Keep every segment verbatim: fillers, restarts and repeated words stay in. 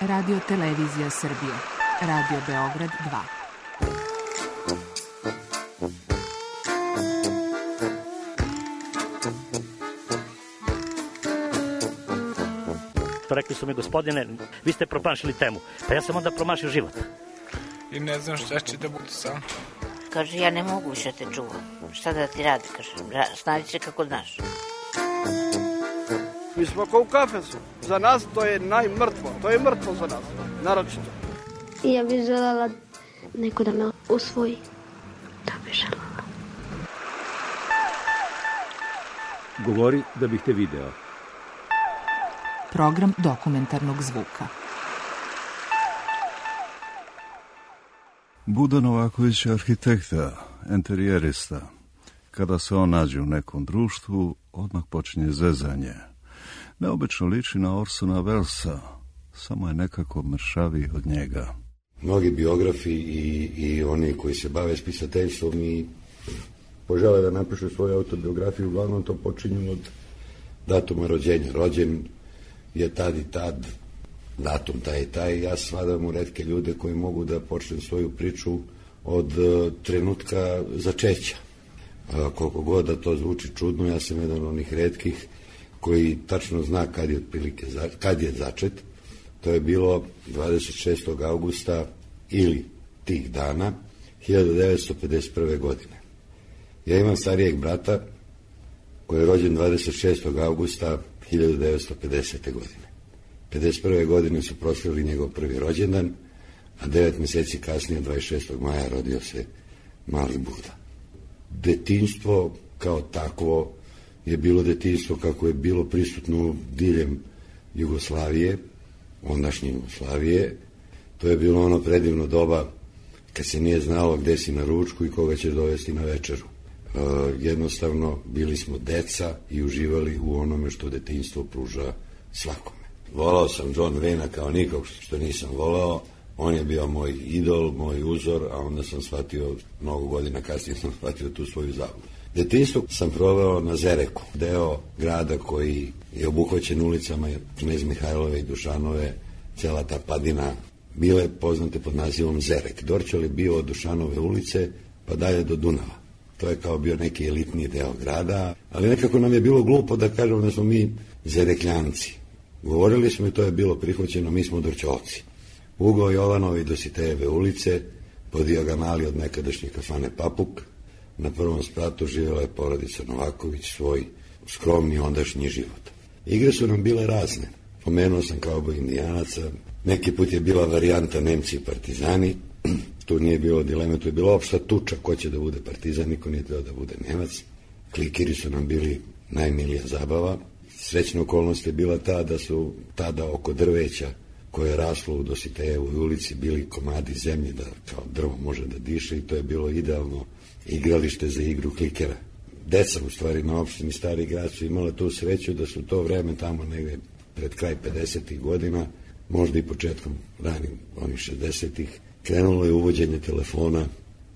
Radio Televizija Srbije. Radio Beograd dva. Rekli su mi, gospodine, vi ste promašili temu. Pa ja sam onda promašio život. I ne znam šta će da bude sam. Kaže, ja ne mogu više te čuvam. Šta da ti radi? Kaže, snađi se kako znaš. Mi smo kao u kafesu. Za nas to je najmrtvo. To je mrtvo za nas. Naročito. Ja bih željela neko da me usvoji. Da bih željela. Govori da bih te video. Program dokumentarnog zvuka. Budo Novaković je arhitekta, enterijerista. Kada se on nađe u nekom društvu, odmah počinje zezanje. Neobično liči na Orsona Wellesa, samo je nekako mršaviji od njega. Mnogi biografi i, i oni koji se bave spisateljstvom i požele da napišu svoju autobiografiju, uglavnom to počinju od datuma rođenja. Rođen je tad i tad, datum taj i taj. Ja svadam u retke ljude koji mogu da počnem svoju priču od uh, trenutka začeća. Uh, koliko god da to zvuči čudno, ja sam jedan od onih retkih koji tačno zna kad je otprilike za, kad je začet. To je bilo dvadeset šestog avgusta ili tih dana hiljadu devetsto pedeset prve. godine. Ja imam starijeg brata koji je rođen dvadeset šestog avgusta hiljadu devetsto pedesete. godine. pedeset prve. godine su proslavili njegov prvi rođendan, a devet meseci kasnije, dvadeset šestog maja, rodio se mali Buda. Detinjstvo kao takvo je bilo detinjstvo kako je bilo prisutno diljem Jugoslavije, ondašnje Jugoslavije. To je bilo ono predivno doba kad se nije znalo gde si na ručku i koga ćeš dovesti na večeru. E, jednostavno bili smo deca i uživali u onome što detinjstvo pruža svakome. Volao sam John Wayne kao nikog što nisam volao. On je bio moj idol, moj uzor, a onda sam shvatio, mnogo godina kasnije sam shvatio tu svoju zabludu. Detinjstvo sam proveo na Zereku, deo grada koji je obuhvaćen ulicama Knez Mihajlove i Dušanove, cela ta padina bile poznate pod nazivom Zerek. Dorćol je bio od Dušanove ulice pa dalje do Dunava. To je kao bio neki elitni deo grada, ali nekako nam je bilo glupo da kažemo da smo mi Zerekljanci. Govorili smo i to je bilo prihvaćeno, mi smo Dorćolci. Ugao Jovanove i Dositejeve ulice, po dijagonali od nekadašnje kafane Papuk, na prvom spratu živjela je porodica Novaković, svoj skromni ondašnji život. Igre su nam bile razne. Pomenuo sam kauboj indijanaca, neki put je bila varijanta Nemci i Partizani, tu nije bilo dileme, tu je bila opšta tuča ko će da bude Partizan, niko nije teo da bude Nemac. Klikiri su nam bili najmilija zabava. Srećna okolnost je bila ta da su tada oko drveća koje je raslo u Dositejevoj ulici bili komadi zemlje da kao drvo može da diše i to je bilo idealno igralište za igru klikera. Deca u stvari na opštini Stari Grad su imala tu sreću da su to vreme tamo negde pred kraj pedesetih godina, možda i početkom ranim onih šezdesetih, krenulo je uvođenje telefona.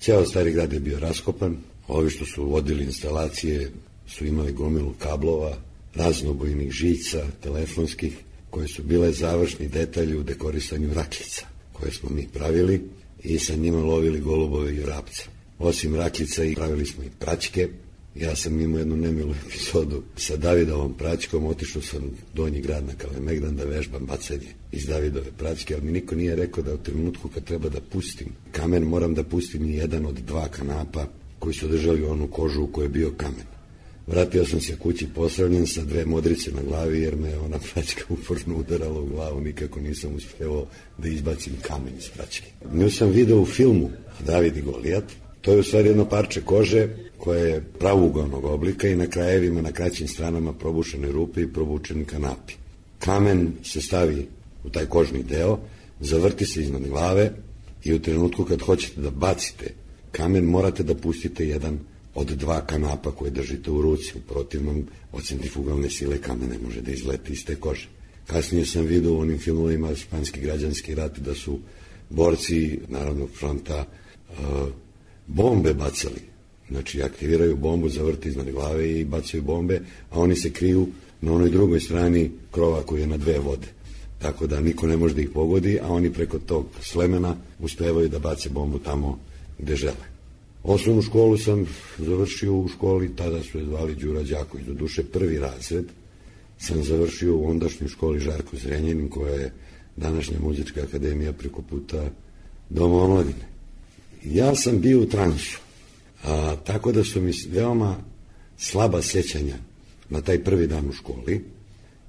Ceo Stari Grad je bio raskopan, ovi što su vodili instalacije su imali gomilu kablova, raznobojnih žica, telefonskih, koje su bile završni detalji u dekorisanju rakljica, koje smo mi pravili i sa njima lovili golubove i vrapce. Osim rakljica i pravili smo i praćke. Ja sam imao jednu nemilu epizodu sa Davidovom praćkom, otišao sam u Donji Grad na Kalemegdan da vežbam bacanje iz Davidove praćke, ali mi niko nije rekao da u trenutku kad treba da pustim kamen, moram da pustim i jedan od dva kanapa koji su držali onu kožu u kojoj je bio kamen. Vratio sam se kući posravljen sa dve modrice na glavi jer me ona praćka uporno udarala u glavu, nikako nisam uspeo da izbacim kamen iz praćke. Nju sam video u filmu David i Golijat. To je u stvari jedno parče kože koje je pravougalnog oblika i na krajevima, na kraćim stranama probušene rupe i probučeni kanapi. Kamen se stavi u taj kožni deo, zavrti se iznad glave i u trenutku kad hoćete da bacite kamen morate da pustite jedan od dva kanapa koje držite u ruci. U protivnom, od centrifugalne sile kamen ne može da izleti iz te kože. Kasnije sam vidio u onim filmovima Španski građanski rat da su borci Narodnog fronta uh, bombe bacali. Znači, aktiviraju bombu, zavrti iznad glave i bacaju bombe, a oni se kriju na onoj drugoj strani krova koji je na dve vode. tako da niko ne može da ih pogodi, a oni preko tog slemena uspevaju da bace bombu tamo gde žele. Osnovnu školu sam završio u školi, tada su je zvali Đura Đaković, do duše prvi razred sam završio u ondašnjoj školi Žarko Zrenjanin, koja je današnja muzička akademija preko puta Doma omladine. Ja sam bio u transu, a, tako da su mi veoma slaba sjećanja na taj prvi dan u školi.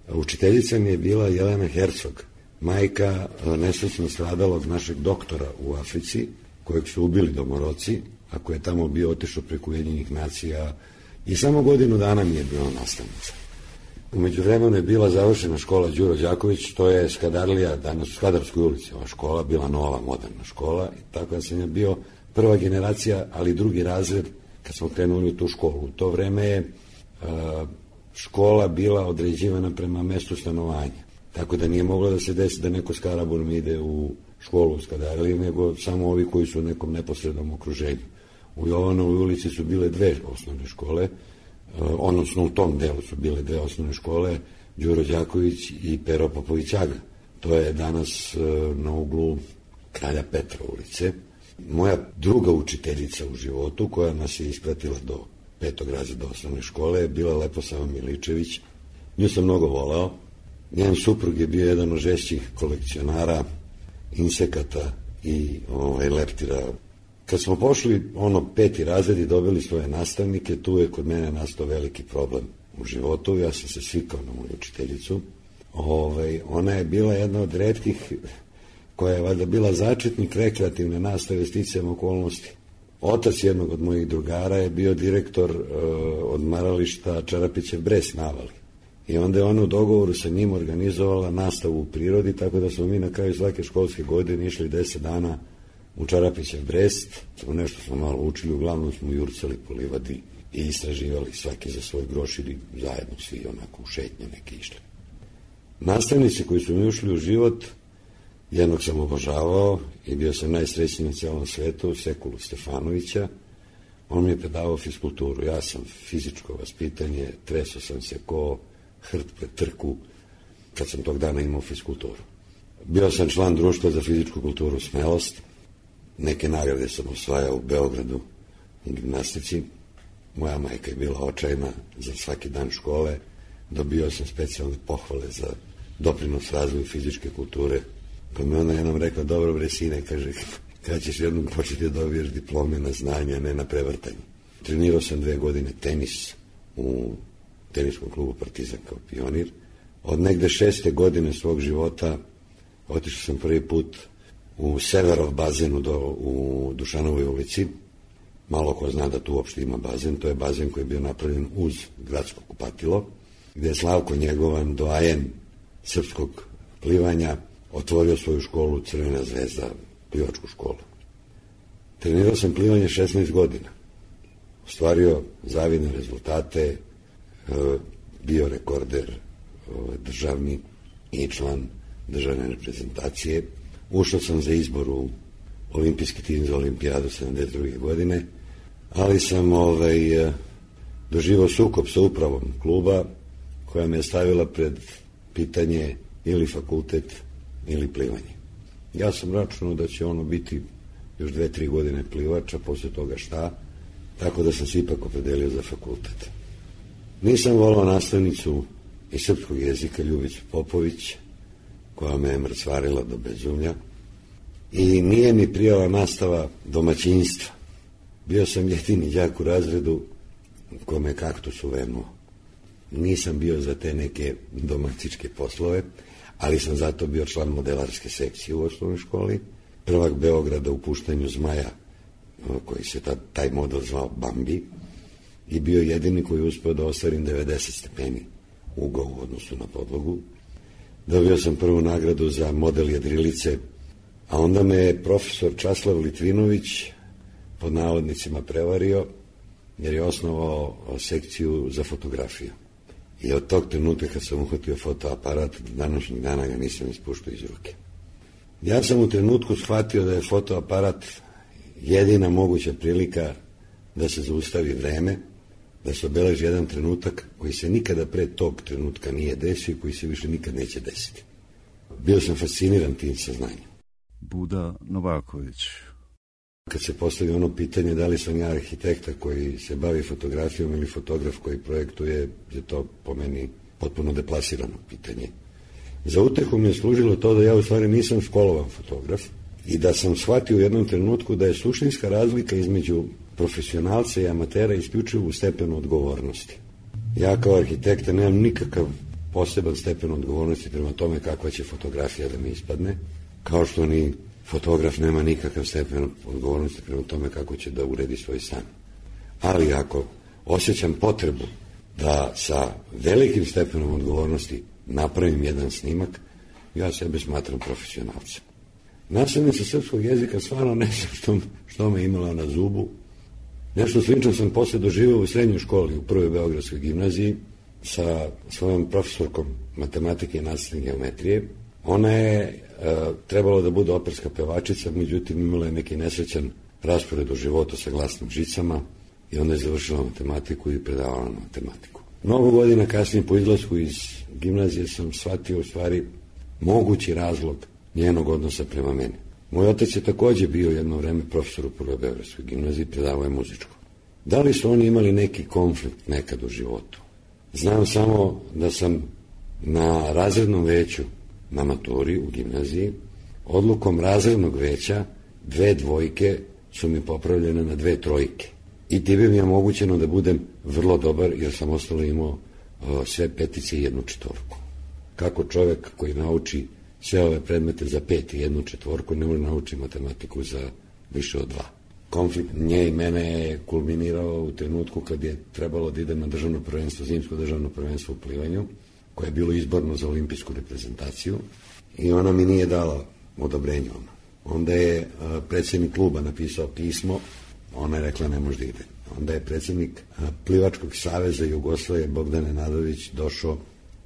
A učiteljica mi je bila Jelena Hercog, majka nesrećno stradalog našeg doktora u Africi, kojeg su ubili domoroci, a koji je tamo bio otišao preko Ujedinjenih nacija i samo godinu dana mi je bila nastavnica. U međuvremenu je bila završena škola Đuro Đaković, to je Skadarlija, danas u Skadarskoj ulici, ova škola, bila nova, moderna škola, i tako da sam je bio prva generacija, ali drugi razred kad smo krenuli u tu školu. U to vreme je a, škola bila određivana prema mestu stanovanja, tako da nije moglo da se desi da neko s Karaburom ide u školu u Skadarliji, nego samo ovi koji su u nekom neposrednom okruženju. U Jovanovoj ulici su bile dve osnovne škole, odnosno u tom delu su bile dve osnovne škole, Đuro Đaković i Pero Popović-Aga. To je danas na uglu Kralja Petra ulice. Moja druga učiteljica u životu, koja nas je ispratila do petog razreda osnovne škole, je bila Leposava Miličević. Nju sam mnogo voleo. Njen suprug je bio jedan od žešćih kolekcionara insekata i ovaj, leptira. Kad smo pošli ono peti razred i dobili svoje nastavnike, tu je kod mene nastao veliki problem u životu. Ja sam se svikao na moju učiteljicu. Ovaj, ona je bila jedna od retkih koja je valjda bila začetnik rekreativne nastave sticajem okolnosti. Otac jednog od mojih drugara je bio direktor uh, odmarališta Čarapićev Bres na Avali. I onda je ona u dogovoru sa njim organizovala nastavu u prirodi, tako da smo mi na kraju svake školske godine išli deset dana u Čarapićev Brest. Nešto smo malo učili, uglavnom smo jurcali po livadi i istraživali svaki za svoj groš ili zajedno svi onako u šetnje neke išli. Nastavnici koji su mi ušli u život, jednog sam obožavao i bio sam najsrećniji na celom svetu, Sekulu Stefanovića. On mi je predavao fiskulturu. Ja sam fizičko vaspitanje, tresao sam se ko hrt pred trku kad sam tog dana imao fiskulturu. Bio sam član društva za fizičku kulturu Smelost. Neke nagrade sam osvajao u Beogradu u gimnastici. Moja majka je bila očajna za svaki dan škole. Dobio sam specijalne pohvale za doprinos razvoju fizičke kulture. Pa mi ona jednom rekla, dobro bre sine, kaže, kada ćeš jednom početi da dobiješ diplome na znanje, a ne na prevrtanje. Trenirao sam dve godine tenis u teniskom klubu Partizan kao pionir. Od negde šeste godine svog života otišao sam prvi put u Severov bazen do, u Dušanovoj ulici. Malo ko zna da tu uopšte ima bazen. To je bazen koji je bio napravljen uz gradsko kupatilo, gde je Slavko Njegovan, doajen srpskog plivanja, otvorio svoju školu Crvena zvezda, plivačku školu. Trenirao sam plivanje šesnaest godina. Ostvario zavidne rezultate, bio rekorder državni i član državne reprezentacije. Ušao sam za izbor u olimpijski tim za olimpijadu sedamdeset druge godine, ali sam ovaj, doživao sukob sa upravom kluba koja me je stavila pred pitanje ili fakultet ili plivanje. Ja sam računao da će ono biti još dve, tri godine plivača, posle toga šta, tako da sam se ipak opredelio za fakultet. Nisam volao nastavnicu iz srpskog jezika Ljubicu Popović, koja me je mrcvarila do bezumlja, i nije mi prijala nastava domaćinstva. Bio sam jedini đak u razredu kome kaktus uvenuo. Nisam bio za te neke domaćičke poslove, ali sam zato bio član modelarske sekcije u osnovnoj školi, prvak Beograda u puštanju zmaja, koji se ta, taj model zvao Bambi, i bio jedini koji je uspeo da ostvarim devedeset stepeni ugao u odnosu na podlogu. Dobio sam prvu nagradu za model jedrilice, a onda me je profesor Časlav Litvinović pod navodnicima prevario, jer je osnovao sekciju za fotografiju. I od tog trenutka kad sam uhvatio fotoaparat, današnjeg dana ga nisam ispuštao iz ruke. Ja sam u trenutku shvatio da je fotoaparat jedina moguća prilika da se zaustavi vreme, da se obeleži jedan trenutak koji se nikada pre tog trenutka nije desio i koji se više nikad neće desiti. Bio sam fasciniran tim saznanjem. Buda Novaković. Kad se postavi ono pitanje da li sam ja arhitekta koji se bavi fotografijom ili fotograf koji projektuje, je to po meni potpuno deplasirano pitanje. Za utehu mi je služilo to da ja u stvari nisam školovan fotograf i da sam shvatio u jednom trenutku da je suštinska razlika između profesionalca i amatera isključivo u stepenu odgovornosti. Ja kao arhitekta nemam nikakav poseban stepen odgovornosti prema tome kakva će fotografija da mi ispadne, kao što ni fotograf nema nikakav stepen odgovornosti prema tome kako će da uredi svoj stan. Ali ako osjećam potrebu da sa velikim stepenom odgovornosti napravim jedan snimak, ja sebe smatram profesionalcem. Nastavnica srpskog jezika stvarno ne znam što, što me imala na zubu. Nešto slično sam posle doživio u srednjoj školi, u prvoj Beogradskoj gimnaziji, sa svojom profesorkom matematike i nastavne geometrije. Ona je e, trebalo da bude operska pevačica, međutim imala je neki nesrećan raspored u životu sa glasnim žicama i onda je završila matematiku i predavala na matematiku. Mnogo godina kasnije po izlasku iz gimnazije sam shvatio u stvari mogući razlog njenog odnosa prema meni. Moj otac je takođe bio jedno vreme profesor u prvoj Beogradskoj gimnaziji, predavao je muzičko. Da li su oni imali neki konflikt nekad u životu? Znam samo da sam na razrednom veću na maturi u gimnaziji odlukom razrednog veća dve dvojke su mi popravljene na dve trojke. I time mi je omogućeno da budem vrlo dobar jer sam ostalo imao o, sve petice i jednu četvorku. Kako čovjek koji nauči sve ove predmete za pet i jednu četvorku ne može nauči matematiku za više od dva. Konflikt nje i mene je kulminirao u trenutku kad je trebalo da idem na državno prvenstvo, zimsko državno prvenstvo u plivanju, koje je bilo izborno za olimpijsku reprezentaciju i ona mi nije dala odobrenje. Onda je a, predsjednik kluba napisao pismo, ona je rekla ne može da ide. Onda je predsjednik a, Plivačkog saveza Jugoslavije Bogdan Nenadović došao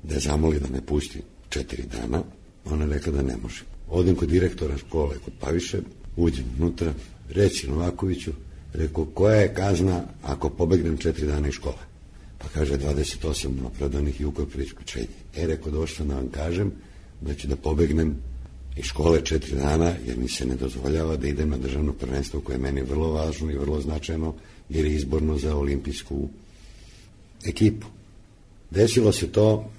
da je zamoli da me pusti četiri dana. Ona je rekla da ne može. Odem kod direktora škole, kod Paviše, uđem unutra, reći Novakoviću, rekao, koja je kazna ako pobegnem četiri dana iz škole? Pa kaže, dvadeset osam opravdanih i ukor isključenje. E, rekao, došao sam da vam kažem da ću da pobegnem iz škole četiri dana, jer mi se ne dozvoljava da idem na državno prvenstvo koje je meni vrlo važno i vrlo značajno, jer je izborno za olimpijsku ekipu. Desilo se to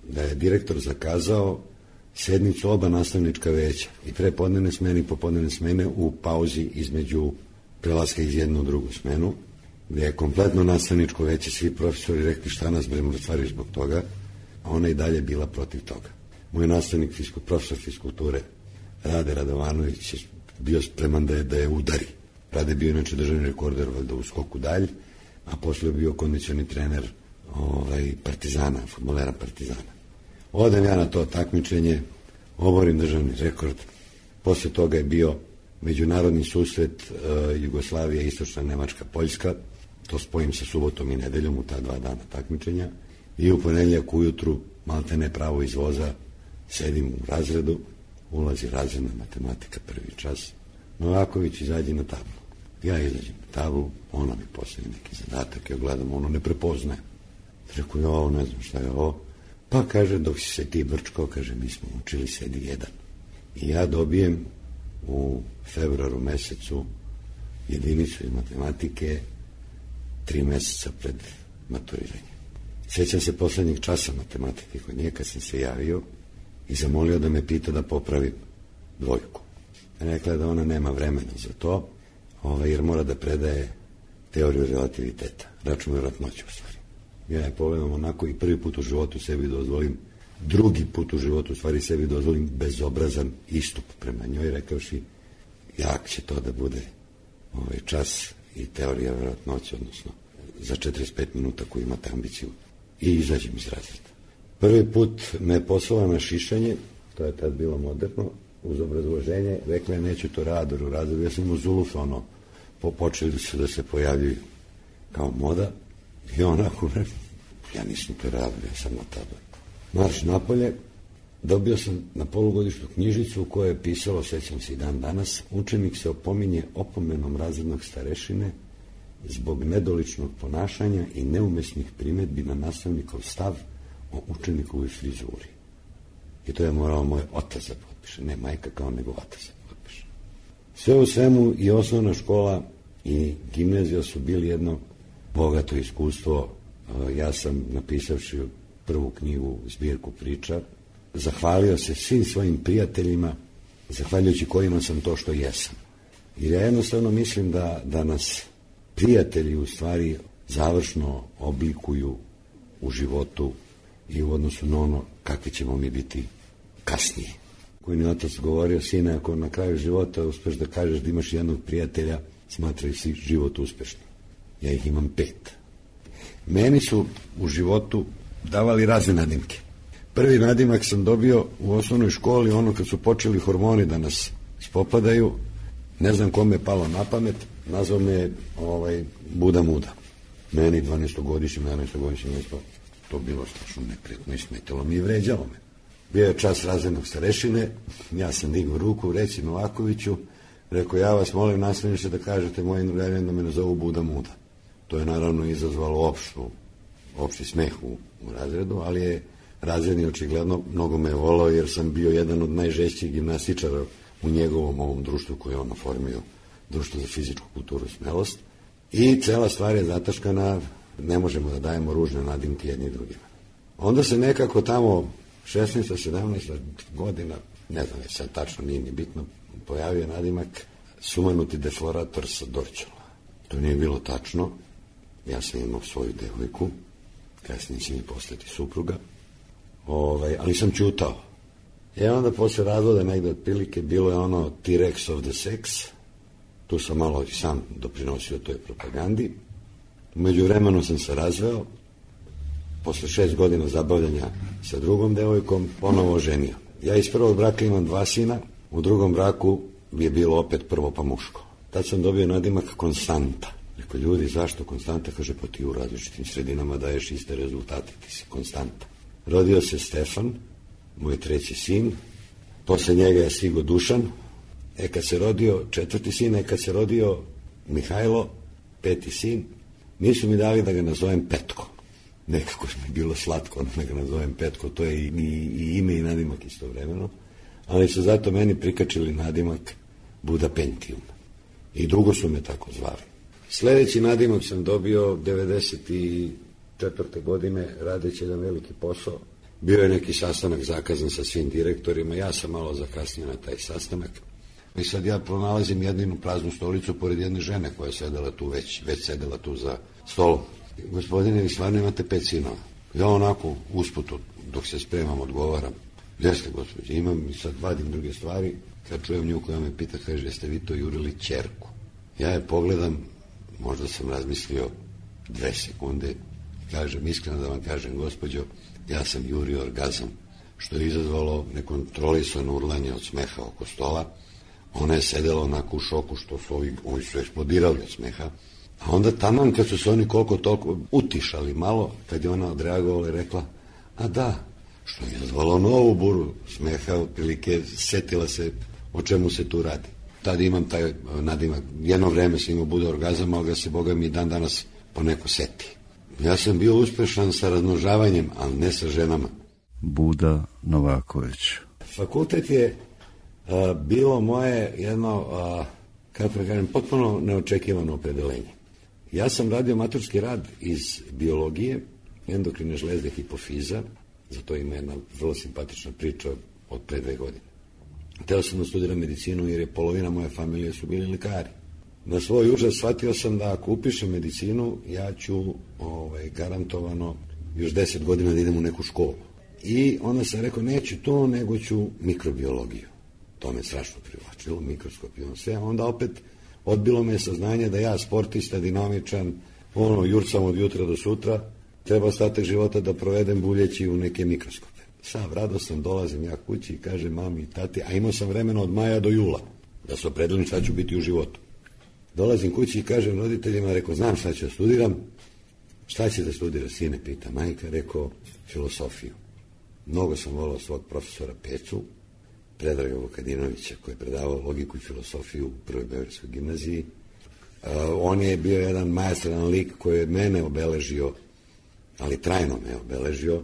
da je direktor zakazao sednicu oba nastavnička veća i prepodnevne smene i popodnevne smene u pauzi između prelaska iz jednu u drugu smenu, gdje je kompletno nastavničko veće, svi profesori rekli šta nas bre mrtvariš zbog toga, a ona i dalje bila protiv toga. Moj nastavnik, fiskul, profesor fiskulture, Rade Radovanović, je bio spreman da je, da je udari. Rade je bio inače državni rekorder valjda u skoku dalj, a posle je bio kondicioni trener ovaj, Partizana, fudbalera Partizana. Odem ja na to takmičenje, oborim državni rekord. Posle toga je bio međunarodni susret uh, Jugoslavija, Istočna Nemačka, Poljska. To spojim sa subotom i nedeljom u ta dva dana takmičenja. I u ponedjeljak ujutru, maltene pravo iz voza, sedim u razredu, ulazi razredna matematika, prvi čas. Novaković izađe na tablu. Ja izađem na tablu, ona mi postavi neki zadatak, ja gledam, ono ne prepoznaje. Rekao, ja ovo ne znam šta je ovo. Pa kaže, dok si se ti brčkao, kaže, mi smo učili sedi jedan. I ja dobijem u februaru mesecu jedinicu iz matematike tri meseca pred maturiranje. Sjećam se poslednjeg časa matematike kod nje kad sam se javio i zamolio da me pita da popravim dvojku. Rekla je da ona nema vremena za to, ovaj, jer mora da predaje teoriju relativiteta, račun vjerojatnoće u stvari. Ja je pogledam onako i prvi put u životu sebi dozvolim, drugi put u životu u stvari sebi dozvolim bezobrazan istup prema njoj, rekavši jak će to da bude ovaj čas i teorija vjerojatnoće, odnosno za četrdeset pet minuta koju imate ambiciju, i izađem iz razreda. Prvi put me poslala na šišanje, to je tad bilo moderno, uz obrazloženje, rekla je neću to raditi u razredu, ja sam imao zuluf, ono, po, počeli su da se pojavljuju kao moda, i onako, ja nisam to radio, ja sam na tabli. Marš napolje, dobio sam na polugodišnju knjižicu u kojoj je pisalo, sećam se i dan danas, učenik se opominje opomenom razrednog starešine zbog nedoličnog ponašanja i neumesnih primedbi na nastavnikov stav o učenikovoj frizuri. I to je morao moj otac da potpiše, ne majka kao nego otac da potpiše. Sve u svemu i osnovna škola i gimnazija su bili jedno bogato iskustvo. Ja sam, napisavši prvu knjigu, zbirku priča, zahvalio se svim svojim prijateljima, zahvaljujući kojima sam to što jesam. Jer ja jednostavno mislim da, da nas prijatelji u stvari završno oblikuju u životu i u odnosu na ono kakvi ćemo mi biti kasnije. Koji mi otac govorio, sine, ako na kraju života uspeš da kažeš da imaš jednog prijatelja, smatraj si život uspešnim. Ja ih imam pet. Meni su u životu davali razne nadimke. Prvi nadimak sam dobio u osnovnoj školi, ono kad su počeli hormoni da nas spopadaju, ne znam kome je palo na pamet, nazvao me ovaj, Buda Muda. Meni dvanaestogodišnjim, jedanaestogodišnjim, to bilo strašno neprijatno i smetilo mi i vređalo me. Bio je čas razrednog starešine, ja sam digao ruku, reci Novakoviću, rekao, ja vas molim, nastavniče da kažete mojim drugarima da me nazovu Buda Muda. To je naravno izazvalo opštu, opšti smeh u, u razredu, ali je razredni očigledno mnogo me volao jer sam bio jedan od najžešćih gimnastičara u njegovom ovom društvu koje je on oformio, društvo za fizičku kulturu i smelost. I cela stvar je zataškana, ne možemo da dajemo ružne nadimke jedni drugima. Onda se nekako tamo šesnaesta sedamnaesta godina, ne znam je sad tačno, nije ni bitno, pojavio nadimak sumanuti deflorator sa Dorćola. To nije bilo tačno, ja sam imao svoju devojku, kasnije će mi postati supruga, ovaj, ali sam ćutao. I onda posle razvoda negde otprilike bilo je ono T-Rex of the sex, tu sam malo i sam doprinosio toj propagandi. U međuvremenu sam se razveo, posle šest godina zabavljanja sa drugom devojkom, ponovo ženio. Ja iz prvog braka imam dva sina, u drugom braku je bilo opet prvo pa muško. Tad sam dobio nadimak Konstanta. Rekao, ljudi, zašto Konstanta? Kaže, pa ti u različitim sredinama daješ iste rezultate, ti si Konstanta. Rodio se Stefan, moj treći sin, posle njega je stigo Dušan, e kad se rodio četvrti sin, e kad se rodio Mihajlo, peti sin, nisu mi dali da ga nazovem Petko. Nekako mi je bilo slatko da ga nazovem Petko, to je i, i, i ime i nadimak istovremeno, ali su zato meni prikačili nadimak Buda Pentium. I dugo su me tako zvali. Sledeći nadimak sam dobio devedeset četvrte godine, radeći jedan veliki posao. Bio je neki sastanak zakazan sa svim direktorima, ja sam malo zakasnio na taj sastanak. I sad ja pronalazim jedinu praznu stolicu pored jedne žene koja je sedela tu, već, već sedela tu za stolom. Gospodine, vi stvarno imate pet sinova. Ja onako usputu, dok se spremam, odgovaram. Jeste, gospođe, imam i sad vadim druge stvari. Kad čujem nju koja me pita, kaže, jeste vi to jurili ćerku? Ja je pogledam, možda sam razmislio dve sekunde, kažem, iskreno da vam kažem, gospođo, ja sam jurio orgazam, što je izazvalo nekontrolisano urlanje od smeha oko stola. Ona je sedela onako u šoku, što su ovi, ovi su eksplodirali od smeha. A onda taman kad su se oni koliko toliko utišali malo, kad je ona odreagovala i rekla, a da, što je izazvalo novu buru smeha, otprilike setila se o čemu se tu radi. Tad imam taj nadimak, jedno vreme sam imao Buda orgazam, ali ga se, Boga mi, dan danas poneko seti. Ja sam bio uspešan sa razmnožavanjem, ali ne sa ženama. Buda Novaković. Fakultet je a, bilo moje jedno, a, kako da kažem, potpuno neočekivano opredelenje. Ja sam radio maturski rad iz biologije, endokrine žlezde, hipofiza, zato ima jedna vrlo simpatična priča od pre dve godine. Hteo sam da studiram medicinu jer je polovina moje familije su bili lekari. Na svoj užas shvatio sam da ako upišem medicinu, ja ću ovaj, garantovano još deset godina da idem u neku školu. I onda sam rekao, neću to, nego ću mikrobiologiju. To me strašno privlačilo, mikroskopiju, sve. Onda opet odbilo me saznanje da ja, sportista, dinamičan, ono, jurcam od jutra do sutra, treba ostatak života da provedem buljeći u neke mikroskope. Sav radostan dolazim ja kući i kažem mami i tati, a imao sam vremena od maja do jula, da se opredelim šta ću biti u životu. Dolazim kući i kažem roditeljima, rekao, znam šta ću da studiram. Šta će da studira, sine, pita majka, rekao, filosofiju. Mnogo sam volao svog profesora Pecu, Predraga Vukadinovića, koji je predavao logiku i filosofiju u Prvoj Beogradskoj gimnaziji. Uh, on je bio jedan majestralan lik koji je mene obeležio, ali trajno me obeležio,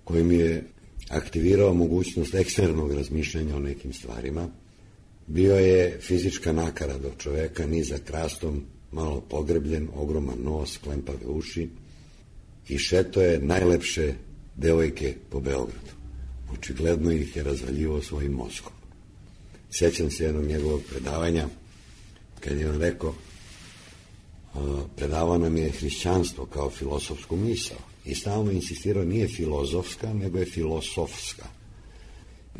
koji mi je aktivirao mogućnost eksternog razmišljanja o nekim stvarima. Bio je fizička nakarada od čoveka, nizak rastom, malo pogrebljen, ogroman nos, klempave uši i šeto je najlepše devojke po Beogradu. Očigledno ih je razvaljivao svojim mozgom. Sjećam se jednog njegovog predavanja kad je on rekao, predavao nam je hrišćanstvo kao filosofsku misao i stalno insistirao, nije filozofska, nego je filosofska.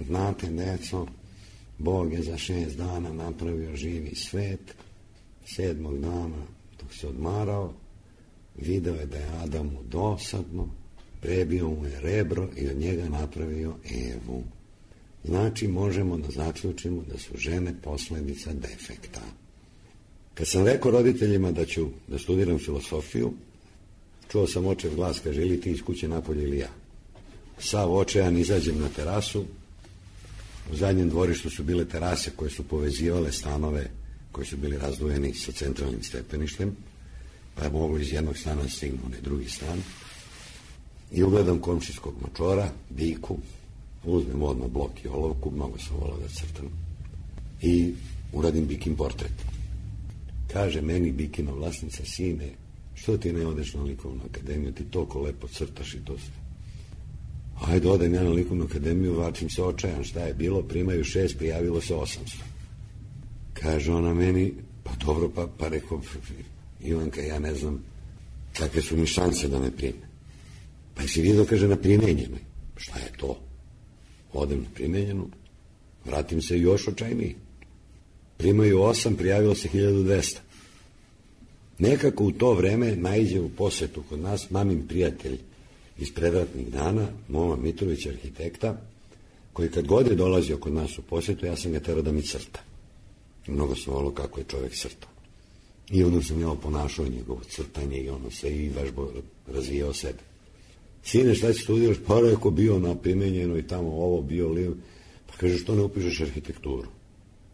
Znate, deco, Bog je za šest dana napravio živi svet, sedmog dana dok se odmarao, video je da je Adamu dosadno, prebio mu je rebro i od njega napravio Evu. Znači, možemo da zaključimo da su žene posledica defekta. Kad sam rekao roditeljima da ću da studiram filosofiju, čuo sam očev glas, kaže, ili ti iz kuće napolje ili ja. Sav očajan izađem na terasu, u zadnjem dvorištu su bile terase koje su povezivale stanove koji su bili razdvojeni sa centralnim stepeništem, pa je moglo iz jednog stana stignu onaj drugi stan. I ugledam komšijskog mačora, biku, uzmem odmah blok i olovku, mnogo sam volao da crtam, i uradim bikin portret. Kaže meni bikina vlasnica, sine, što ti ne odeš na likovnu akademiju, ti toliko lepo crtaš i to sve. Ajde, odem ja na likovnu akademiju, vačim se očajan, šta je bilo, primaju šest, prijavilo se osamsto. Kaže ona meni, pa dobro, pa, pa rekao, Ivanka, ja ne znam kakve su mi šanse da me prime. Pa si vidio, kaže, na primenjenoj. Šta je to? Odem na primenjenu, vratim se još očajniji. Primaju osam, prijavilo se hiljadu dvesta. Nekako u to vreme naiđe u posetu kod nas mamin prijatelj iz predratnih dana, Moma Mitrović, arhitekta, koji kad god je dolazio kod nas u posetu, ja sam ga terao da mi crta. Mnogo sam volio kako je čovjek crtao. I ono sam ja oponašao njegovo crtanje i ono se i vežbo razvijao sebe. Sine, šta će studiraš? Pa rekao, bio na primenjeno i tamo ovo, bio li... Pa kaže, što ne upišeš arhitekturu?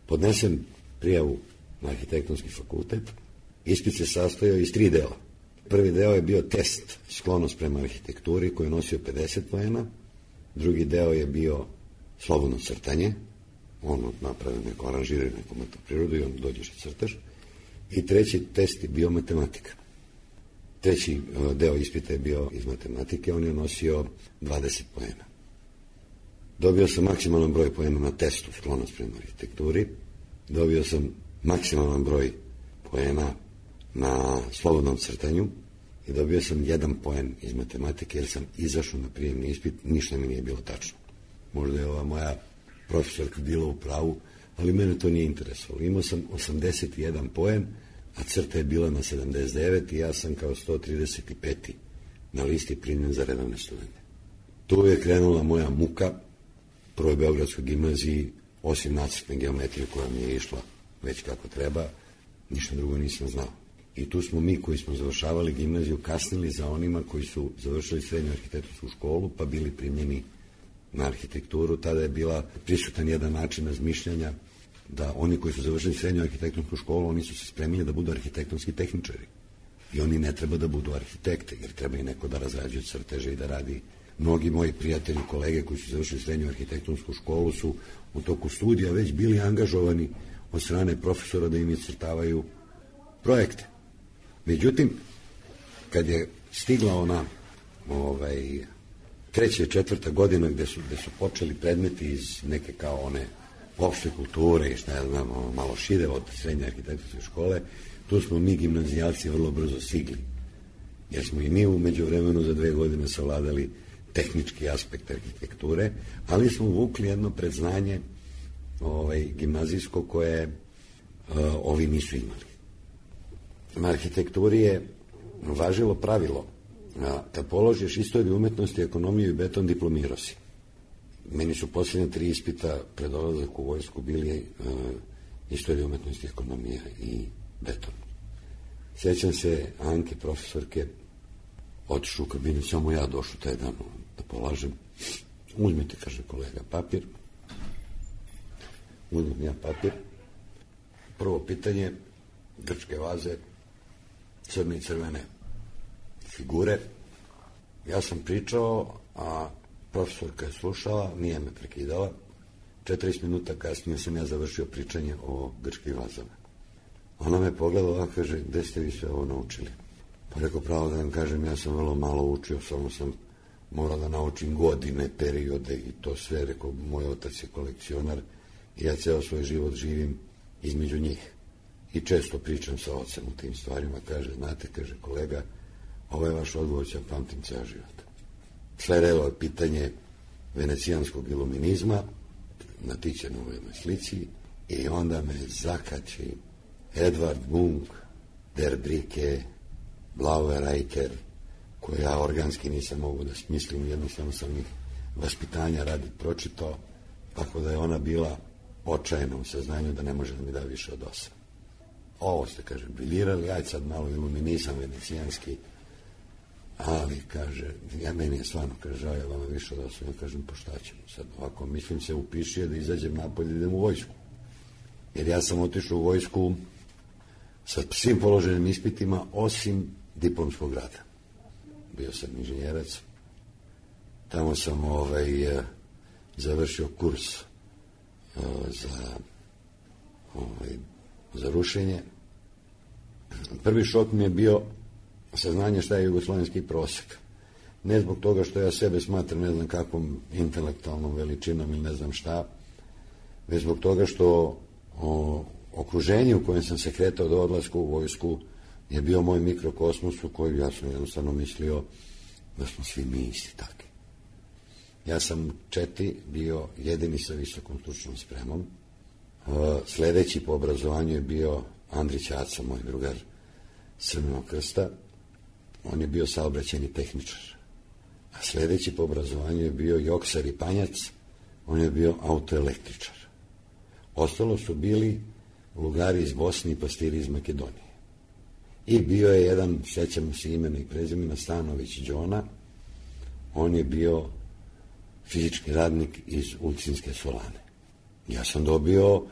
Podnesem prijavu na arhitektonski fakultet. Ispit se sastojao iz tri dela. Prvi deo je bio test sklonost prema arhitekturi koji je nosio pedeset poena. Drugi deo je bio slobodno crtanje. Ono napravi neko aranžiraju neku prirodu i on dođeš i crtaš. I treći test je bio matematika. Treći deo ispita je bio iz matematike, on je nosio dvadeset poena. Dobio sam maksimalan broj poena na testu sklonost prema arhitekturi. Dobio sam maksimalan broj poena na slobodnom crtanju i dobio sam jedan poen iz matematike jer sam izašao na prijemni ispit, ništa mi nije bilo tačno. Možda je ova moja profesorka bila u pravu, ali mene to nije interesovalo. Imao sam osamdeset jedan poen, a crta je bila na sedamdeset devet i ja sam kao sto trideset peti na listi primljen za redovne studente. Tu je krenula moja muka, prvoj Beogradskoj gimnaziji, osim nacrtne geometrije koja mi je išla već kako treba, ništa drugo nisam znao. I tu smo mi koji smo završavali gimnaziju kasnili za onima koji su završili srednju arhitektonsku školu pa bili primljeni na arhitekturu. Tada je bila prisutan jedan način razmišljanja da oni koji su završili srednju arhitektonsku školu, oni su se spremili da budu arhitektonski tehničari. I oni ne treba da budu arhitekte, jer treba i neko da razrađuje crteže i da radi. Mnogi moji prijatelji, kolege koji su završili srednju arhitektonsku školu su u toku studija već bili angažovani od strane profesora da im iscrtavaju projekte. Međutim, kad je stigla ona ovaj, treća i četvrta godina gde su, gde su počeli predmeti iz neke kao one opšte kulture i šta ja znam, malo šire od srednje arhitektonske škole, tu smo mi gimnazijalci vrlo brzo stigli. Jer smo i mi u međuvremenu za dve godine savladali tehnički aspekt arhitekture, ali smo vukli jedno predznanje ovaj, gimnazijsko koje uh, ovi nisu imali. Na arhitekturi je važilo pravilo, a, kad položiš istoriju umetnosti, ekonomiju i beton, diplomirao si. Meni su posljednje tri ispita pred odlazak u vojsku bili uh, istorija umetnosti, ekonomija i beton. Sjećam se Anke, profesorke, otišu u kabinet, samo ja došao taj dan da polažem. Uzmite, kaže kolega, papir. Uzmem ja papir. Prvo pitanje, grčke vaze, crne i crvene figure. Ja sam pričao, a Profesorka je slušala, nije me prekidala. četrdeset minuta kasnije sam ja završio pričanje o grčkih vazama. Ona me pogledala, kaže, gde ste vi sve ovo naučili? Pa rekao, pravo da vam kažem, ja sam vrlo malo učio, samo sam morao da naučim godine, periode i to sve. Rekao, moj otac je kolekcionar i ja ceo svoj život živim između njih. I često pričam sa ocem u tim stvarima. Kaže, znate, kaže, kolega, ovo je vaš odgovor, ću ja pamtim ceo život. Sledilo je pitanje venecijanskog iluminizma na Tićenovoj slici i onda me zakači Edvard Munch, Der Brike, Blaue Reiter, koje ja organski nisam mogu da smislim, jednostavno sam ih vaspitanja radi pročitao, tako da je ona bila očajna u saznanju da ne može da mi da više od osam. Ovo ste, kaže, briljirali, ajde sad malo iluminizam venecijanski, ali, kaže, ja meni je stvarno, kaže, ja vama više od osam, ja kažem, pa šta ćemo sad, ovako, mislim se upiši da izađem napolje, idem u vojsku. Jer ja sam otišao u vojsku sa svim položenim ispitima, osim diplomskog rada. Bio sam inženjerac, tamo sam ovaj, završio kurs uh, za, ovaj, za rušenje. Prvi šok mi je bio saznanje šta je jugoslovenski prosek. Ne zbog toga što ja sebe smatram ne znam kakvom intelektualnom veličinom ili ne znam šta, već zbog toga što o, okruženje u kojem sam se kretao do odlaska u vojsku je bio moj mikrokosmos u kojem ja sam jednostavno mislio da smo svi mi isti takvi. Ja sam četi bio jedini sa visokom stručnom spremom. Sledeći po obrazovanju je bio Andrić Aca, moj drugar Crvenog krsta. On je bio saobraćajni tehničar. A sledeći po obrazovanju je bio Joksar i Panjac, on je bio autoelektričar. Ostalo su bili Lugari iz Bosne i pastiri iz Makedonije. I bio je jedan, sjećamo se imena i prezimena, Stanović Đona, on je bio fizički radnik iz Ulcinske Solane. Ja sam dobio uh,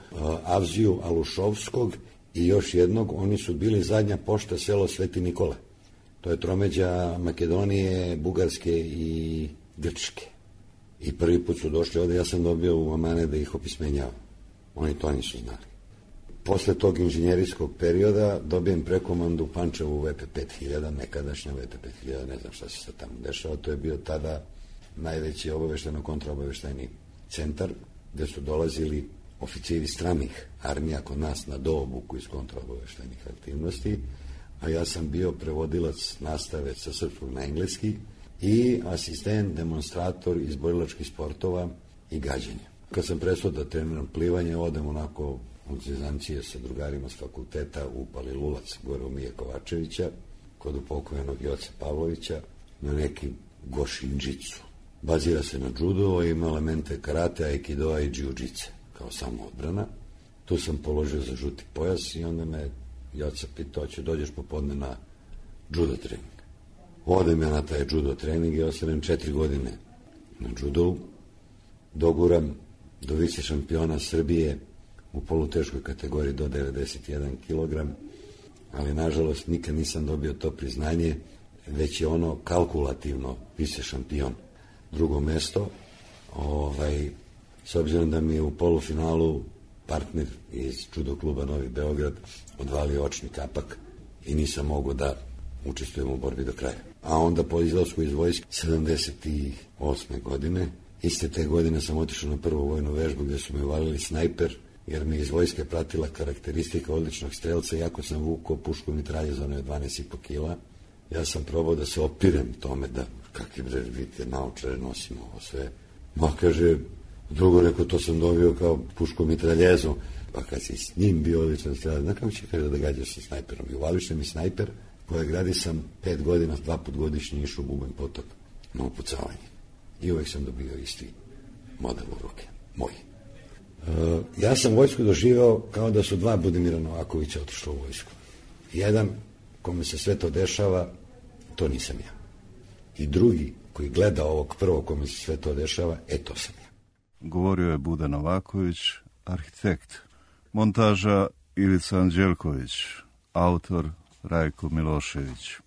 Avziju Alušovskog i još jednog, oni su bili zadnja pošta selo Sveti Nikole. To je tromeđa Makedonije, Bugarske i Grčke. I prvi put su došli ovde, ja sam dobio u amane da ih opismenjavam. Oni to nisu znali. Posle tog inženjerijskog perioda dobijem prekomandu u Pančevu u V P pet hiljada, nekadašnja V P pet hiljada, ne znam šta se sad tamo dešava, to je bio tada najveći obavešteno-kontraobaveštajni centar, gde su dolazili oficiri stranih armija kod nas na doobuku iz kontraobaveštajnih aktivnosti, a ja sam bio prevodilac nastave sa srpskog na engleski i asistent, demonstrator iz borilačkih sportova i gađenja. Kad sam prestao da treniram plivanje, odem onako od zezancije sa drugarima s fakulteta u Palilulac, gore u Mije Kovačevića, kod upokojnog Joce Pavlovića, na neki gošinđicu. Bazira se na judo, ima elemente karate, aikidoa i džiu-džice, kao samo odbrana. Tu sam položio za žuti pojas i onda me Joca pitao, će dođeš popodne na judo trening. Odem ja na taj judo trening i ostanem četiri godine na judovu. Doguram do vice šampiona Srbije u poluteškoj kategoriji do devedeset jedan kilogram, ali nažalost nikad nisam dobio to priznanje, već je ono kalkulativno vice šampion. Drugo mesto, ovaj, s obzirom da mi je u polufinalu partner iz judo kluba Novi Beograd odvalio očni kapak i nisam mogao da učestvujem u borbi do kraja. A onda po izlasku iz vojske sedamdeset osme godine, iste te godine sam otišao na prvu vojnu vežbu gde su me uvalili snajper, jer mi iz vojske pratila karakteristika odličnog strelca, iako sam vukao pušku mitralje za one dvanaest i po kila. Ja sam probao da se opirem tome da kakvi bre, vidite, naočare nosimo ovo sve. Ma, kaže, drugo rekao, to sam dobio kao pušku mitraljezu. Pa kad si s njim bio odličan strelac, znaš kako će kaže da gađaš sa snajperom? I uvališ mi snajper, koje gradi sam pet godina, dva put godišnje išao u Bubanj potok na upucavanje. I uvek sam dobio isti model u ruke, moj. Uh, ja sam vojsku doživao kao da su dva Budimira Novakovića otišla u vojsku. Jedan, kome se sve to dešava, to nisam ja. I drugi, koji gleda ovog prvog kome se sve to dešava, e to sam ja. Govorio je Buda Novaković, arhitekt. Montaža Ivica Anđelković, autor Rajko Milošević.